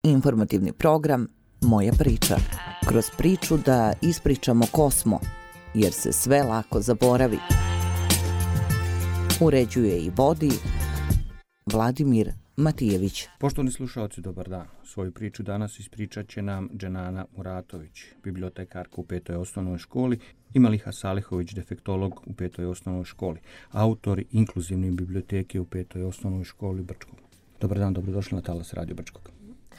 Informativni program Moja priča. Kroz priču da ispričamo ko smo, jer se sve lako zaboravi. Uređuje i vodi Vladimir Matijević. Poštovani slušalci, dobar dan. Svoju priču danas ispričat će nam Dženana Muratović, bibliotekarka u 5. osnovnoj školi, i Maliha Salihović, defektolog u 5. osnovnoj školi, autori inkluzivne biblioteke u 5. osnovnoj školi Brčkog. Dobar dan, dobrodošli na Talas Radio Brčkog.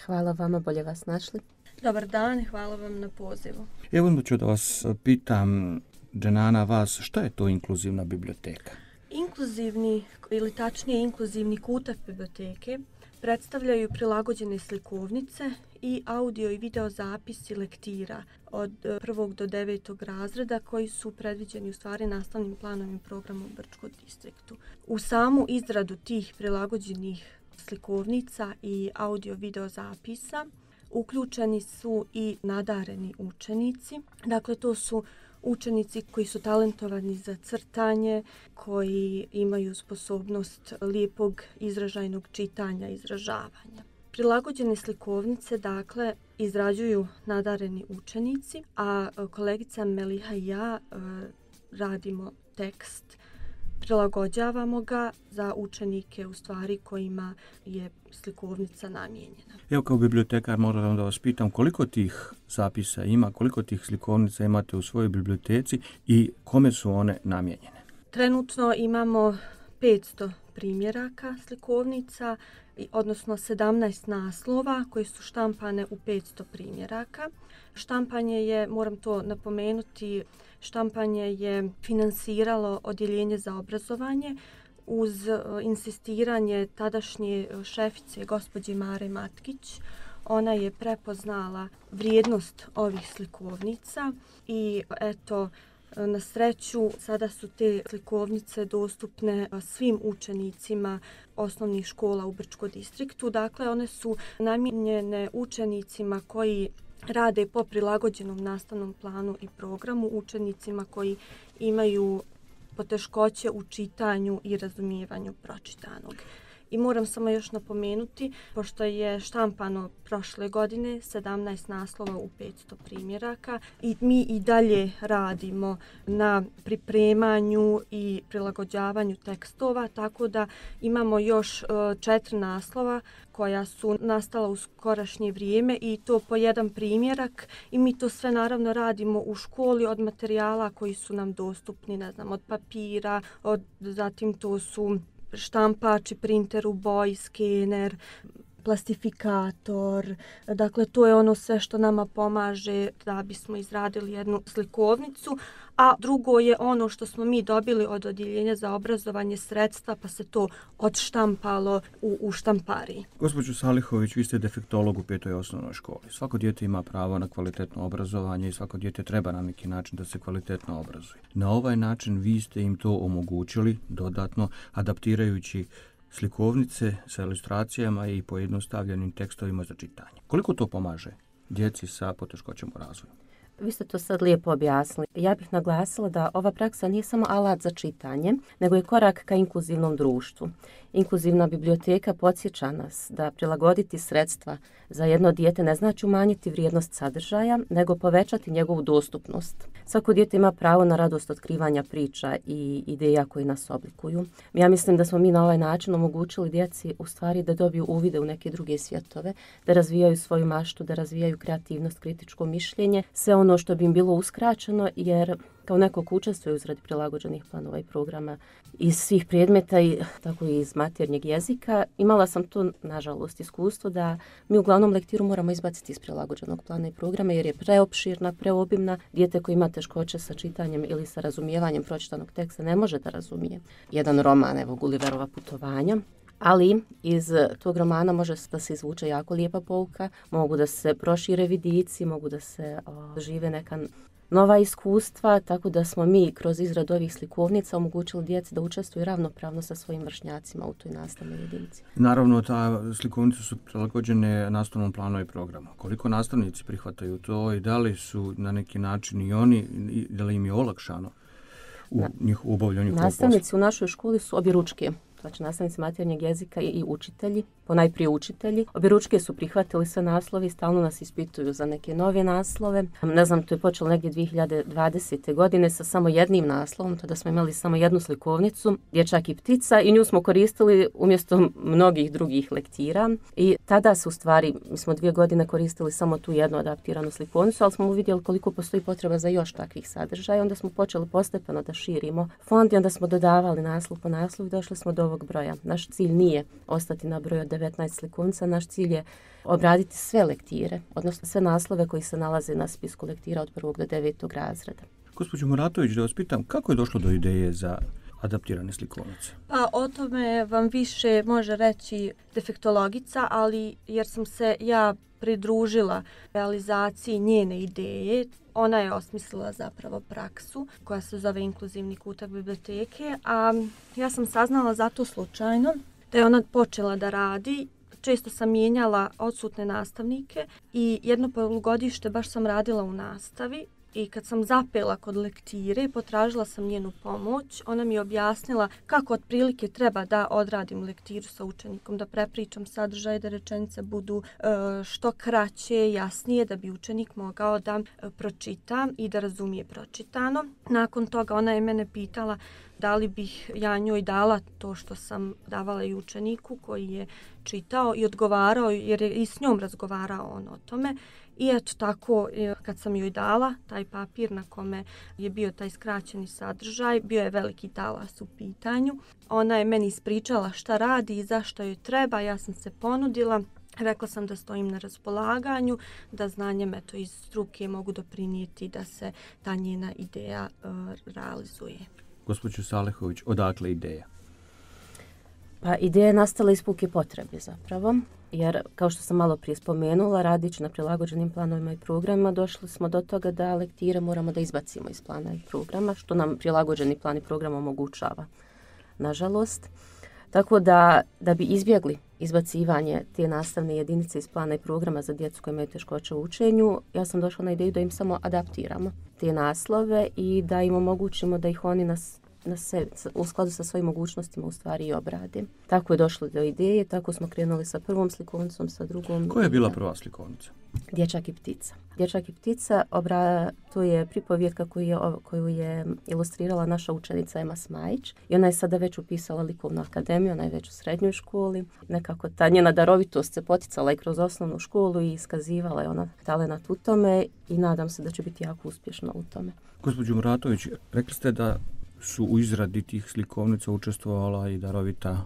Hvala vama, bolje vas našli. Dobar dan i hvala vam na pozivu. Evo onda ću da vas pitam, Dženana, vas, šta je to inkluzivna biblioteka? Inkluzivni, ili tačnije inkluzivni kutav biblioteke, predstavljaju prilagođene slikovnice i audio i video zapisi lektira od 1. do 9. razreda koji su predviđeni u stvari nastavnim planovim programom u Brčkom distriktu. U samu izradu tih prilagođenih slikovnica i audio video zapisa uključeni su i nadareni učenici. Dakle, to su učenici koji su talentovani za crtanje, koji imaju sposobnost lijepog izražajnog čitanja i izražavanja. Prilagođene slikovnice, dakle, izrađuju nadareni učenici, a kolegica Meliha i ja radimo tekst, prilagođavamo ga za učenike u stvari kojima je slikovnica namijenjena. Evo, kao bibliotekar moram da vas pitam koliko tih zapisa ima, koliko tih slikovnica imate u svojoj biblioteci i kome su one namijenjene? Trenutno imamo 500 primjeraka slikovnica, odnosno 17 naslova koji su štampane u 500 primjeraka. Štampanje je, moram to napomenuti, štampanje je finansiralo Odjeljenje za obrazovanje uz insistiranje tadašnje šefice gospođe Mare Matkić. Ona je prepoznala vrijednost ovih slikovnica i eto, na sreću sada su te slikovnice dostupne svim učenicima osnovnih škola u Brčkom distriktu. Dakle, one su namijenjene učenicima koji rade po prilagođenom nastavnom planu i programu, učenicima koji imaju poteškoće u čitanju i razumijevanju pročitanog. I moram samo još napomenuti, pošto je štampano prošle godine 17 naslova u 500 primjeraka i mi i dalje radimo na pripremanju i prilagođavanju tekstova, tako da imamo još 4 naslova koja su nastala u skorašnje vrijeme i to po jedan primjerak i mi to sve naravno radimo u školi od materijala koji su nam dostupni, ne znam, od papira, zatim to su štampači, printer u boji, skener, plastifikator. Dakle, to je ono sve što nama pomaže da bismo izradili jednu slikovnicu. A drugo je ono što smo mi dobili od Odjeljenja za obrazovanje sredstva, pa se to odštampalo u štampariji. Gospođo Salihović, vi ste defektolog u 5. osnovnoj školi. Svako dijete ima pravo na kvalitetno obrazovanje i svako dijete treba na neki način da se kvalitetno obrazuje. Na ovaj način vi ste im to omogućili dodatno, adaptirajući slikovnice sa ilustracijama i pojednostavljenim tekstovima za čitanje. Koliko to pomaže djeci sa poteškoćama u razvoju? Vi ste to sad lijepo objasnili. Ja bih naglasila da ova praksa nije samo alat za čitanje, nego je korak ka inkluzivnom društvu. Inkluzivna biblioteka podsjeća nas da prilagoditi sredstva za jedno dijete ne znači umanjiti vrijednost sadržaja, nego povećati njegovu dostupnost. Svako dijete ima pravo na radost otkrivanja priča i ideja koji nas oblikuju. Ja mislim da smo mi na ovaj način omogućili djeci u stvari da dobiju uvide u neke druge svjetove, da razvijaju svoju maštu, da razvijaju kreativnost, kritičko mišljenje, sve ono što bi im bilo uskraćeno, jer kao neko ko učestvuje u izradi prilagođenih planova i programa iz svih predmeta i tako i iz maternjeg jezika, imala sam to, nažalost, iskustvo da mi uglavnom lektiru moramo izbaciti iz prilagođenog plana i programa jer je preopširna, preobimna. Dijete koji ima teškoće sa čitanjem ili sa razumijevanjem pročitanog teksta ne može da razumije jedan roman, evo Gulliverova putovanja. Ali iz tog romana može da se izvuče jako lijepa pouka, mogu da se prošire vidici, mogu da se žive neka nova iskustva, tako da smo mi kroz izradu ovih slikovnica omogućili djeci da učestvuju ravnopravno sa svojim vršnjacima u toj nastavnoj jedinici. Naravno, ta slikovnice su prilagođene nastavnom planu i programu. Koliko nastavnici prihvataju to i da li su na neki način i oni, da li im je olakšano u obavljanju ovog posla? Nastavnici u našoj školi su objeručke znači nastavnici maternjeg jezika i učitelji, ponajprije učitelji. Objeručke su prihvatili sve naslove i stalno nas ispituju za neke nove naslove. Ne znam, to je počelo negdje 2020. godine sa samo jednim naslovom, tada smo imali samo jednu slikovnicu, Dječak i ptica, i nju smo koristili umjesto mnogih drugih lektira. I tada su u stvari, mi smo 2 godine koristili samo tu jednu adaptiranu slikovnicu, ali smo uvidjeli koliko postoji potreba za još takvih sadržaja. Onda smo počeli postepeno da širimo fond i onda smo dodavali naslov po naslovu i došli smo do ovog broja. Naš cilj nije ostati na broju od 19 slikovnica, naš cilj je obraditi sve lektire, odnosno sve naslove koji se nalaze na spisku lektira od 1. do 9. razreda. Gospođo Muratović, da vas pitam, kako je došlo do ideje za adaptirane slikovnice? Pa o tome vam više može reći defektologica, ali jer sam se ja pridružila realizaciji njene ideje. Ona je osmislila zapravo praksu koja se zove inkluzivni kutak biblioteke, a ja sam saznala zato slučajno da je ona počela da radi. Često sam mijenjala odsutne nastavnike i jedno polugodište baš sam radila u nastavi. I kad sam zapela kod lektire, potražila sam njenu pomoć. Ona mi je objasnila kako otprilike treba da odradim lektiru sa učenikom, da prepričam sadržaj, da rečenice budu što kraće, jasnije, da bi učenik mogao da pročita i da razumije pročitano. Nakon toga ona je mene pitala da li bih ja njoj dala to što sam davala i učeniku koji je čitao i odgovarao, jer je i s njom razgovarao on o tome. I eto tako, kad sam joj dala taj papir na kome je bio taj skraćeni sadržaj, bio je veliki talas u pitanju. Ona je meni ispričala šta radi i zašto joj treba, ja sam se ponudila. Rekla sam da stojim na raspolaganju, da znanjem iz struke mogu doprinijeti da se ta njena ideja realizuje. Gospođo Salehović, odakle ideja? Pa ideja je nastala iz puke potrebe zapravo, jer kao što sam malo prije spomenula, radići na prilagođenim planovima i programima, došli smo do toga da lektire moramo da izbacimo iz plana i programa, što nam prilagođeni plan i program omogućava, nažalost. Tako da bi izbjegli izbacivanje te nastavne jedinice iz plana i programa za djecu koji imaju teškoće u učenju, ja sam došla na ideju da im samo adaptiramo te naslove i da im omogućimo da ih oni u skladu sa svojim mogućnostima u stvari i obrade. Tako je došlo do ideje, tako smo krenuli sa prvom slikovnicom, sa drugom. Koja je bila prva slikovnica? Dječak i ptica. Dječak i ptica, to je pripovjetka koju je ilustrirala naša učenica Ema Smajić i ona je sada već upisala likovnu akademiju, ona je već u srednjoj školi. Nekako ta njena darovitost se poticala i kroz osnovnu školu i iskazivala je ona talenat u tome i nadam se da će biti jako uspješna u tome. Gospođo Muratović, rekli ste da su u izradi tih slikovnica učestvovala i darovita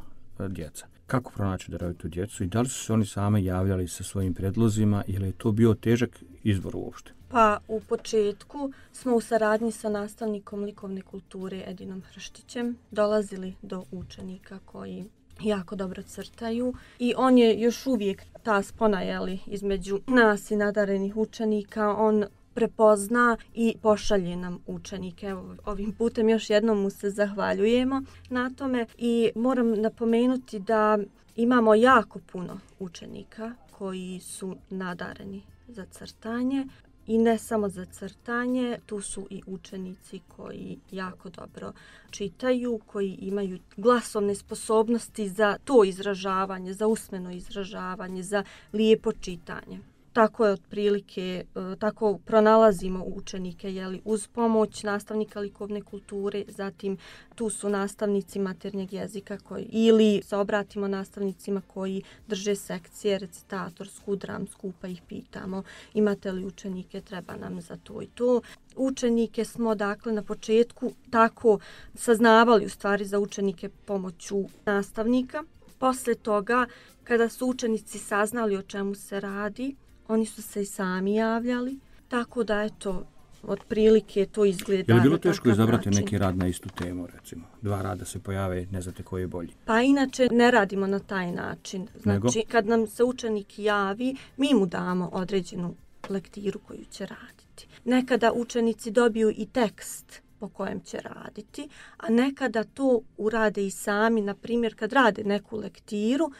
djeca. Kako pronaći darovitu djecu i da li su se oni sami javljali sa svojim predlozima ili je to bio težak izbor uopšte? Pa u početku smo u saradnji sa nastavnikom likovne kulture Edinom Hrštićem dolazili do učenika koji jako dobro crtaju i on je još uvijek ta spona između nas i nadarenih učenika. On prepozna i pošalje nam učenike. Evo, ovim putem još jednom mu se zahvaljujemo na tome i moram napomenuti da imamo jako puno učenika koji su nadareni za crtanje i ne samo za crtanje, tu su i učenici koji jako dobro čitaju, koji imaju glasovne sposobnosti za to izražavanje, za usmeno izražavanje, za lijepo čitanje. Tako je otprilike, tako pronalazimo učenike uz pomoć nastavnika likovne kulture, zatim tu su nastavnici maternjeg jezika ili se obratimo nastavnicima koji drže sekcije recitatorsku, dramsku, pa ih pitamo imate li učenike, treba nam za to i to. Učenike smo dakle na početku tako saznavali u stvari za učenike pomoću nastavnika. Posle toga, kada su učenici saznali o čemu se radi, oni su se i sami javljali, tako da eto, otprilike to izgleda. Je li bilo teško izabrati neki rad na istu temu, recimo? 2 rada se pojave, ne znate koji je bolji. Pa inače ne radimo na taj način. Znači, kad nam se učenik javi, mi mu damo određenu lektiru koju će raditi. Nekada učenici dobiju i tekst po kojem će raditi, a nekada to urade i sami, na primjer kad rade neku lektiru,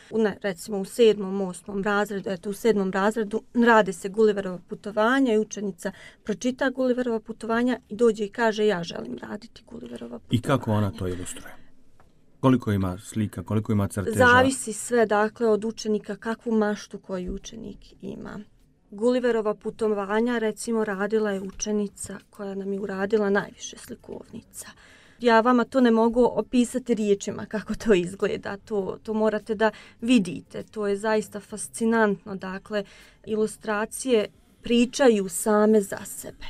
recimo u 7. 8. razredu, u 7. razredu rade se Gulliverova putovanja i učenica pročita Gulliverova putovanja i dođe i kaže ja želim raditi Gulliverova putovanja. I kako ona to ilustruje? Koliko ima slika, koliko ima crteža? Zavisi sve, dakle, od učenika, kakvu maštu koji učenik ima. Gulliverova putovanja, recimo, radila je učenica koja nam je uradila najviše slikovnica. Ja vama to ne mogu opisati riječima kako to izgleda, to morate da vidite, to je zaista fascinantno. Dakle, ilustracije pričaju same za sebe.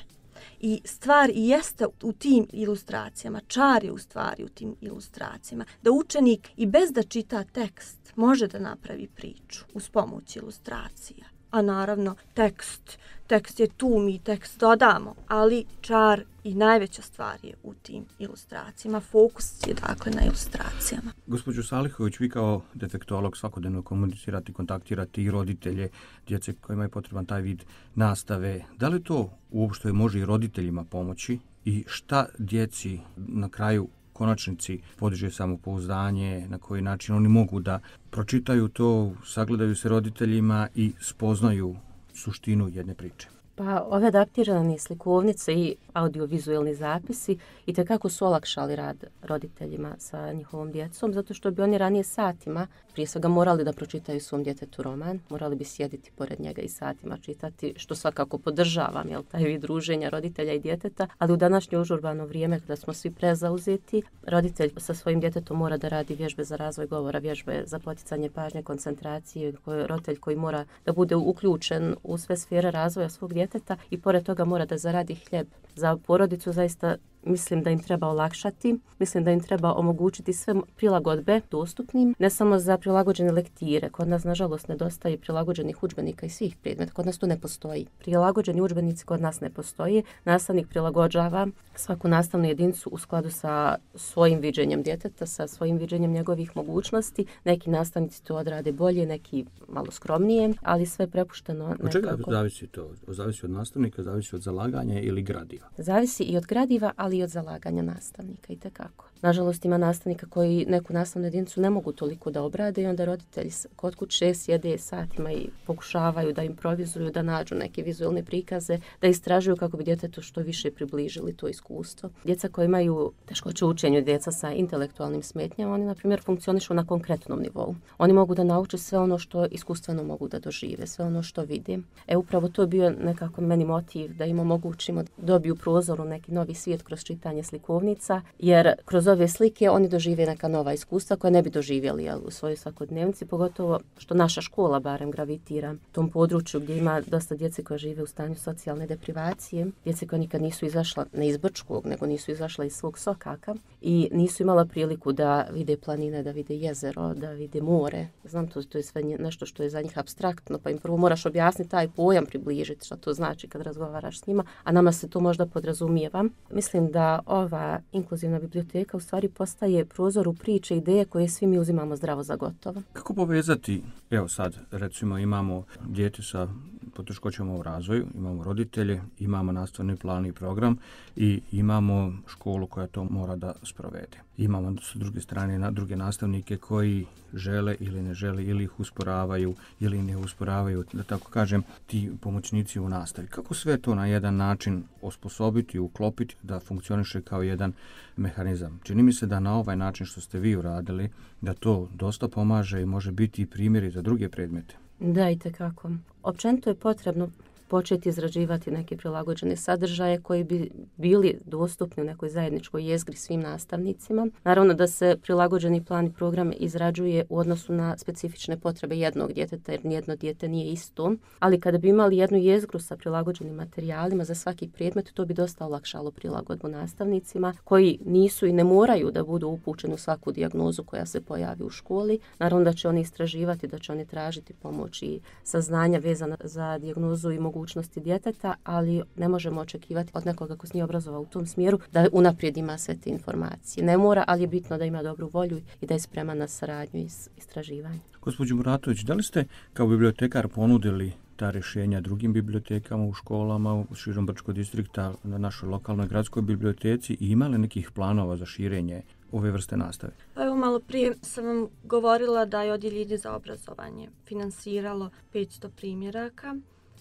I stvar i jeste u tim ilustracijama, čar je u stvari u tim ilustracijama, da učenik i bez da čita tekst može da napravi priču uz pomoć ilustracija. A naravno, tekst je tu, mi tekst dodamo, ali čar i najveća stvar je u tim ilustracijama. Fokus je dakle na ilustracijama. Gospođo Salihović, vi kao defektolog svakodnevno komunicirate, kontaktirate i roditelje, djece kojima je potreban taj vid nastave. Da li to uopšte može i roditeljima pomoći i šta djeci na kraju konačnici podiže samopouzdanje, na koji način oni mogu da pročitaju to, sagledaju se roditeljima i spoznaju suštinu jedne priče? Pa ove adaptirane slikovnice i audiovizualni zapisi itekako su olakšali rad roditeljima sa njihovom djecom, zato što bi oni ranije satima prije svega morali da pročitaju svom djetetu roman, morali bi sjediti pored njega i satima čitati, što svakako podržavam, taj vid druženja roditelja i djeteta, ali u današnje užurbano vrijeme kada smo svi prezauzeti, roditelj sa svojim djetetom mora da radi vježbe za razvoj govora, vježbe za poticanje pažnje, koncentracije, roditelj koji mora da bude uključen u sve sfere razvoja svog djeteta i pored toga mora da zaradi hljeb. Za porodicu zaista mislim da im treba olakšati, mislim da im treba omogućiti sve prilagodbe dostupnim, ne samo za prilagođene lektire. Kod nas, nažalost, nedostaje prilagođenih udžbenika i svih predmeta. Kod nas to ne postoji. Prilagođeni udžbenici kod nas ne postoji. Nastavnik prilagođava svaku nastavnu jedinicu u skladu sa svojim viđenjem djeteta, sa svojim viđenjem njegovih mogućnosti. Neki nastavnici to odrade bolje, neki malo skromnije, ali sve prepušteno nekako. Od čega zavisi to? Zavisi od nastavnika, zavisi od zalaganja ili gradiva? Zavisi i od gradiva, ali i od zalaganja nastavnika itekako. Nažalost, ima nastavnika koji neku nastavnu jedinicu ne mogu toliko da obrade i onda roditelji kod kuće sjede satima i pokušavaju da improvizuju, da nađu neke vizualne prikaze, da istražuju kako bi djetetu što više približili to iskustvo. Djeca koji imaju teškoće u učenju, djeca sa intelektualnim smetnjama, oni, na primjer, funkcionišu na konkretnom nivou. Oni mogu da nauče sve ono što iskustveno mogu da dožive, sve ono što vide. Upravo to je bio nekako meni motiv da im omogućimo da dobiju prozor u neki novi svijet kroz čitanje slikovnica, jer kroz ove slike oni dožive neka nova iskustva koja ne bi doživjeli u svojoj svakodnevnici, pogotovo što naša škola barem gravitira tom području gdje ima dosta djece koja žive u stanju socijalne deprivacije, djece koja nikad nisu izašla ne iz Brčkog, nego nisu izašla iz svog sokaka i nisu imala priliku da vide planine, da vide jezero, da vide more. Znam, to je sve nešto što je za njih apstraktno, pa im prvo moraš objasniti taj pojam, približiti što to znači kad razgovaraš s njima, a nama se to možda podrazumijeva. Mislim da ova inkluzivna biblioteka u stvari postaje prozor u priče, ideje koje svi mi uzimamo zdravo za gotovo. Kako povezati, evo sad recimo imamo dijete sa poteškoćama u razvoju, imamo roditelje, imamo nastavni plan i program i imamo školu koja to mora da sprovede. Imamo s druge strane druge nastavnike koji žele ili ne žele ili ih usporavaju ili ne usporavaju, da tako kažem, ti pomoćnici u nastavi. Kako sve to na jedan način osposobiti, uklopiti da funkcioniše kao jedan mehanizam? Čini mi se da na ovaj način što ste vi uradili, da to dosta pomaže i može biti i primjeri za druge predmete. Da, itekako. Općenito je potrebno početi izrađivati neke prilagođene sadržaje koji bi bili dostupni u nekoj zajedničkoj jezgri svim nastavnicima. Naravno da se prilagođeni plan i program izrađuje u odnosu na specifične potrebe jednog djeteta, jer nijedno dijete nije isto. Ali kada bi imali jednu jezgru sa prilagođenim materijalima za svaki predmet, to bi dosta olakšalo prilagodbu nastavnicima koji nisu i ne moraju da budu upućeni u svaku dijagnozu koja se pojavi u školi. Naravno da će oni istraživati, da će oni tražiti pomoć i saznanja vezana za dijagnozu i mogućnosti djeteta, ali ne možemo očekivati od nekoga ko se nije obrazovao u tom smjeru da unaprijed ima sve te informacije. Ne mora, ali je bitno da ima dobru volju i da je spreman na saradnju i istraživanje. Gospođo Muratović, da li ste kao bibliotekar ponudili ta rješenja drugim bibliotekama u školama u širom Brčkog distrikta, na našoj lokalnoj gradskoj biblioteci i imali nekih planova za širenje ove vrste nastave? Pa evo, malo prije sam vam govorila da je Odjeljenje za obrazovanje finansiralo 500 primjeraka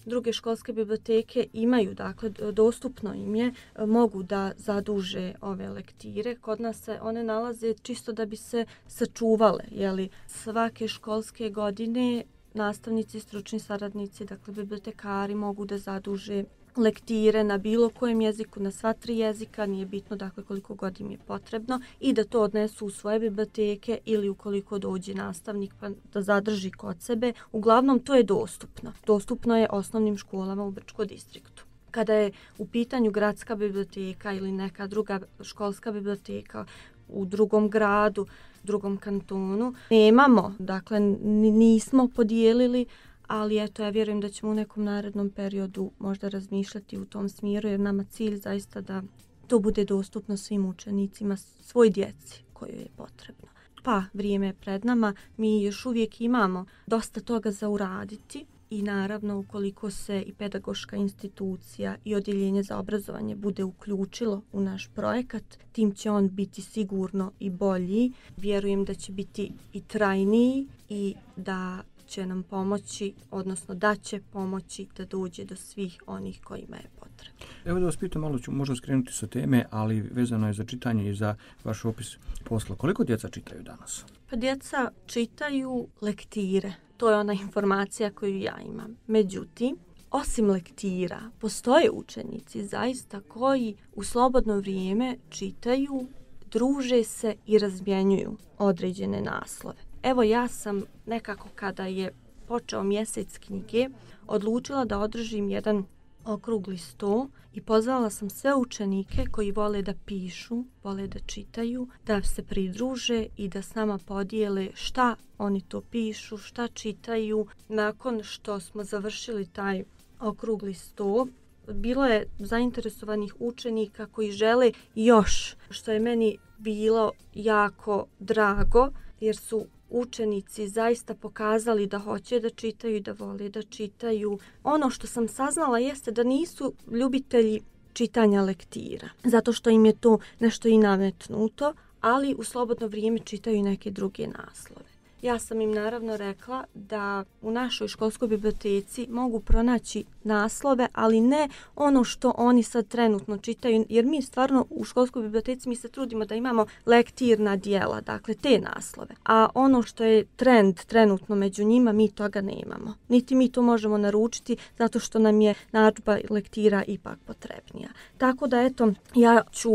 druge školske biblioteke imaju, dakle dostupno im je, mogu da zaduže ove lektire. Kod nas se one nalaze čisto da bi se sačuvale, jeli, svake školske godine nastavnici, stručni saradnici, dakle bibliotekari mogu da zaduže lektire na bilo kojem jeziku, na sva 3 jezika, nije bitno dakle koliko god im je potrebno, i da to odnesu u svoje biblioteke ili ukoliko dođe nastavnik pa da zadrži kod sebe. Uglavnom to je dostupno. Dostupno je osnovnim školama u Brčkom distriktu. Kada je u pitanju gradska biblioteka ili neka druga školska biblioteka u drugom gradu, drugom kantonu, nemamo, dakle nismo podijelili, ali eto, ja vjerujem da ćemo u nekom narednom periodu možda razmišljati u tom smjeru, jer nama cilj zaista da to bude dostupno svim učenicima, svoj djeci kojoj je potrebno. Pa, vrijeme je pred nama, mi još uvijek imamo dosta toga za uraditi i naravno ukoliko se i pedagoška institucija i odjeljenje za obrazovanje bude uključilo u naš projekat, tim će on biti sigurno i bolji. Vjerujem da će biti i trajniji i da će nam pomoći, odnosno da će pomoći da dođe do svih onih kojima je potrebno. Evo da vas pitam, malo ću možda skrenuti sa teme, ali vezano je za čitanje i za vaš opis posla. Koliko djeca čitaju danas? Pa djeca čitaju lektire. To je ona informacija koju ja imam. Međutim, osim lektira, postoje učenici zaista koji u slobodno vrijeme čitaju, druže se i razmjenjuju određene naslove. Evo, ja sam nekako kada je počeo mjesec knjige odlučila da održim jedan okrugli sto i pozvala sam sve učenike koji vole da pišu, vole da čitaju, da se pridruže i da s nama podijele šta oni to pišu, šta čitaju. Nakon što smo završili taj okrugli sto, bilo je zainteresovanih učenika koji žele još, što je meni bilo jako drago, jer su učenici zaista pokazali da hoće da čitaju i da vole da čitaju. Ono što sam saznala jeste da nisu ljubitelji čitanja lektira, zato što im je to nešto i nametnuto, ali u slobodno vrijeme čitaju neke druge naslove. Ja sam im naravno rekla da u našoj školskoj biblioteci mogu pronaći naslove, ali ne ono što oni sad trenutno čitaju, jer mi stvarno u školskoj biblioteci mi se trudimo da imamo lektirna djela, dakle te naslove. A ono što je trend trenutno među njima, mi toga nemamo. Niti mi to možemo naručiti zato što nam je narudžba lektira ipak potrebnija. Tako da eto, ja ću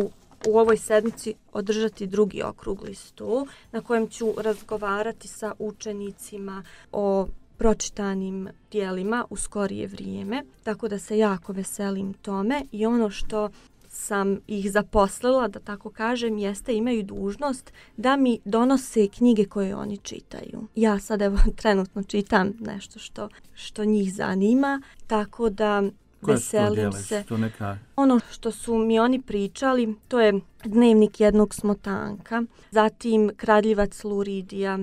u ovoj sedmici održati drugi okrugli sto na kojem ću razgovarati sa učenicima o pročitanim dijelima u skorije vrijeme, tako da se jako veselim tome. I ono što sam ih zaposlila, da tako kažem, jeste imaju dužnost da mi donose knjige koje oni čitaju. Ja sad evo trenutno čitam nešto što njih zanima, tako da veselim se. Ono što su mi oni pričali, to je Dnevnik jednog smotanka, zatim Kradljivac Luridija.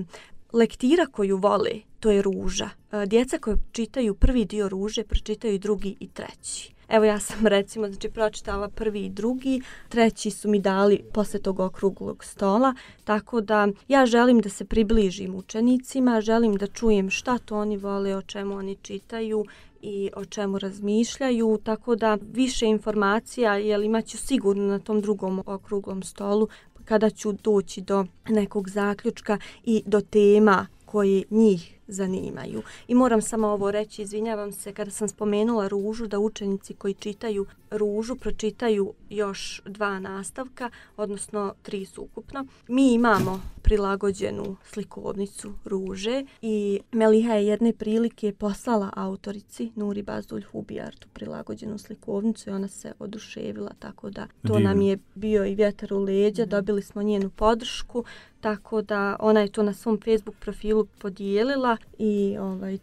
Lektira koju vole, to je Ruža. Djeca koje čitaju prvi dio Ruže, pročitaju drugi i treći. Evo, ja sam recimo pročitala prvi i drugi, treći su mi dali posle tog okruglog stola, tako da ja želim da se približim učenicima, želim da čujem šta to oni vole, o čemu oni čitaju i o čemu razmišljaju, tako da više informacija imaću sigurno na tom drugom okruglom stolu kada ću doći do nekog zaključka i do tema koje njih zanimaju. I moram samo ovo reći, izvinjavam se, kada sam spomenula Ružu, da učenici koji čitaju Ružu pročitaju još 2 nastavka, odnosno 3 ukupno. Mi imamo prilagođenu slikovnicu Ruže i Meliha je jedne prilike poslala autorici Nuri Bazdulj Hubijart tu prilagođenu slikovnicu i ona se oduševila, tako da to nam je bio i vjetar u leđa, dobili smo njenu podršku, tako da ona je to na svom Facebook profilu podijelila i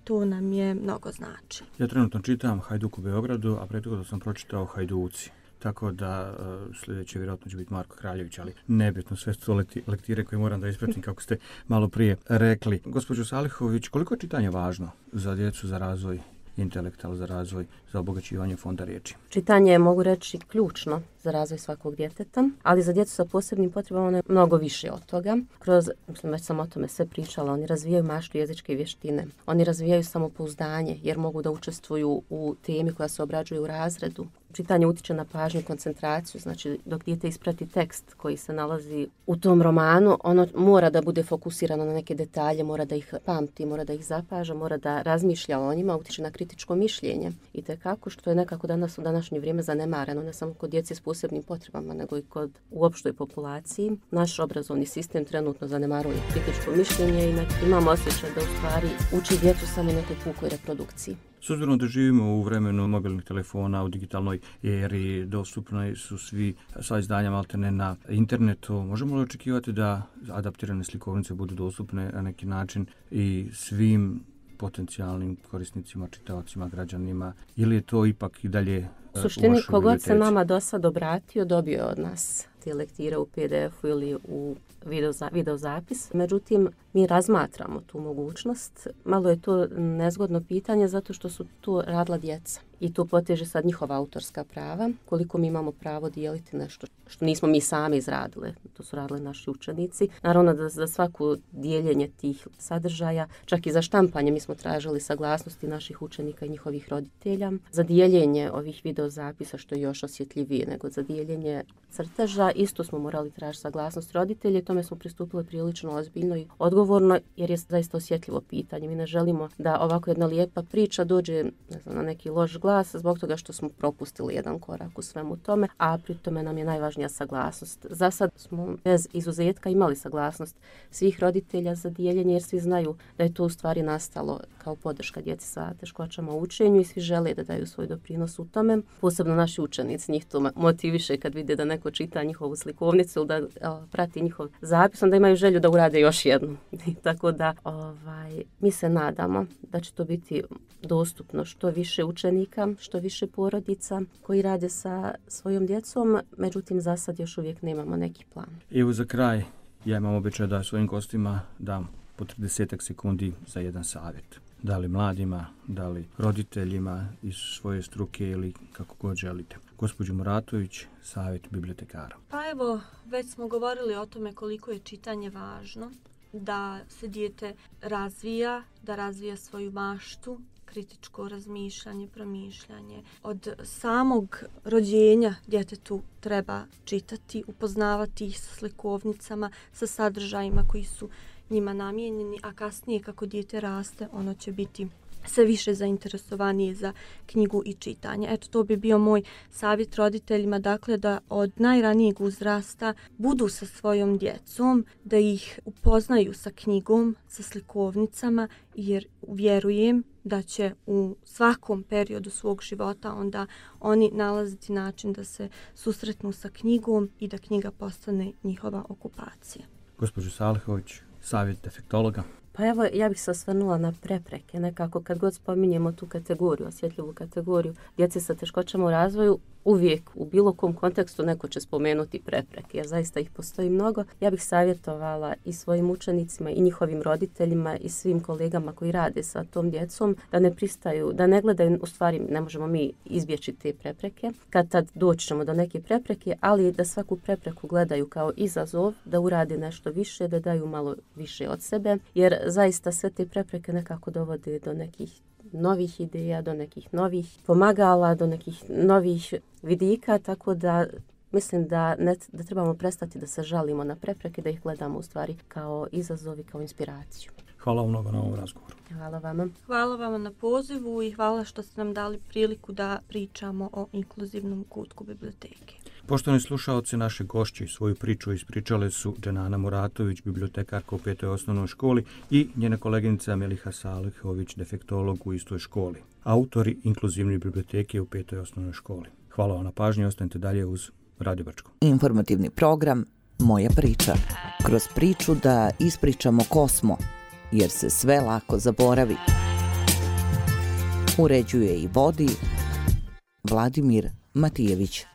to nam je mnogo znači. Ja trenutno čitam Hajduk u Beogradu, a prethodno sam pročitao Hajduci. Tako da sljedeće vjerojatno će biti Marko Kraljević, ali nebitno, sve su lektire koje moram da ispratim kako ste malo prije rekli. Gospođo Salihović, koliko je čitanje važno za djecu, za razvoj intelektual, za razvoj, za obogaćivanje fonda riječi. Čitanje je, mogu reći, ključno za razvoj svakog djeteta, ali za djecu sa posebnim potrebama ono je mnogo više od toga. Već sam o tome sve pričala, oni razvijaju maštu jezičke vještine, oni razvijaju samopouzdanje jer mogu da učestvuju u temi koja se obrađuje u razredu. Čitanje utiče na pažnju i koncentraciju, znači dok dijete isprati tekst koji se nalazi u tom romanu, ono mora da bude fokusirano na neke detalje, mora da ih pamti, mora da ih zapaža, mora da razmišlja o njima, utiče na kritičko mišljenje. I tekako što je nekako danas u današnje vrijeme zanemareno, ne samo kod djece s posebnim potrebama, nego i kod u opštoj populaciji. Naš obrazovni sistem trenutno zanemaruje kritičko mišljenje i imamo osjećaj da u stvari uči djecu samo nekoj pukoj reprodukciji. S obzirom da živimo u vremenu mobilnih telefona, u digitalnoj eri, dostupni su sva izdanja maltene na internetu, možemo li očekivati da adaptirane slikovnice budu dostupne na neki način i svim potencijalnim korisnicima, čitaocima, građanima, ili je to ipak i dalje u suštini, kogod se nama do sad obratio, dobio od nas te lektire u PDF-u ili u videozapis. Međutim, mi razmatramo tu mogućnost. Malo je to nezgodno pitanje zato što su to radila djeca. I tu poteže sad njihova autorska prava. Koliko mi imamo pravo dijeliti nešto što nismo mi sami izradili. To su radili naši učenici. Naravno da za svako dijeljenje tih sadržaja, čak i za štampanje, mi smo tražili saglasnosti naših učenika i njihovih roditelja. Za dijeljenje ovih videozapisa, što je još osjetljivije nego za dijeljenje crteža, isto smo morali tražiti saglasnost roditelja. Tome smo pristupili prilično ozbiljno i odgovorno, jer je zaista osjetljivo pitanje. Mi ne želimo da ovako jedna lijepa priča dođe na neki loš glas zbog toga što smo propustili jedan korak u svemu tome, a pri tome nam je najvažnija saglasnost. Za sad smo bez izuzetka imali saglasnost svih roditelja za dijeljenje, jer svi znaju da je to u stvari nastalo kao podrška djeci sa teškoćama u učenju i svi žele da daju svoj doprinos u tome. Posebno naši učenici, njih to motiviše kad vide da neko čita njihovu slikovnicu ili da prati njihov zapis, onda imaju želju da urade još jednu. Tako da mi se nadamo da će to biti dostupno što više učenika, što više porodica koji rade sa svojom djecom, međutim za sad još uvijek nemamo neki plan. Evo za kraj, ja imam običaj da svojim gostima dam po 30 sekundi za jedan savjet. Da li mladima, da li roditeljima iz svoje struke ili kako god želite. Gospođo Muratović, savjet bibliotekara. Pa evo, već smo govorili o tome koliko je čitanje važno, da se dijete razvija, da razvija svoju maštu, kritičko razmišljanje, promišljanje. Od samog rođenja djetetu treba čitati, upoznavati ih sa slikovnicama, sa sadržajima koji su njima namijenjeni, a kasnije kako dijete raste, ono će biti sve više zainteresovanije za knjigu i čitanje. Eto, to bi bio moj savjet roditeljima, dakle da od najranijeg uzrasta budu sa svojom djecom, da ih upoznaju sa knjigom, sa slikovnicama, jer vjerujem da će u svakom periodu svog života onda oni nalaziti način da se susretnu sa knjigom i da knjiga postane njihova okupacija. Gospođo Salihović, savjet defektologa. Pa evo, ja bih se osvrnula na prepreke. Nekako kad god spominjemo tu kategoriju, osjetljivu kategoriju djece sa teškoćama u razvoju, uvijek u bilo kom kontekstu neko će spomenuti prepreke, jer zaista ih postoji mnogo. Ja bih savjetovala i svojim učenicima i njihovim roditeljima i svim kolegama koji rade sa tom djecom da ne pristaju, da ne gledaju, u stvari ne možemo mi izbjeći te prepreke. Kad tad doći ćemo do neke prepreke, ali da svaku prepreku gledaju kao izazov, da urade nešto više, da daju malo više od sebe, jer zaista sve te prepreke nekako dovode do nekih novih ideja, do nekih novih pomagala, do nekih novih vidika, tako da mislim da trebamo prestati da se žalimo na prepreke, da ih gledamo u stvari kao izazovi, kao inspiraciju. Hvala vam mnogo na ovom razgovoru. Hvala vama. Hvala vam na pozivu i hvala što ste nam dali priliku da pričamo o inkluzivnom kutku biblioteke. Poštovani slušaoci, naše gošće svoju priču ispričale su Dženana Muratović, bibliotekarka u 5. osnovnoj školi, i njena koleginica Meliha Salihović, defektolog u istoj školi. Autori inkluzivne biblioteke u 5. osnovnoj školi. Hvala vam na pažnji, ostanite dalje uz Radio Brčko. Informativni program Moja priča. Kroz priču da ispričamo ko smo, jer se sve lako zaboravi. Uređuje i vodi Vladimir Matijević.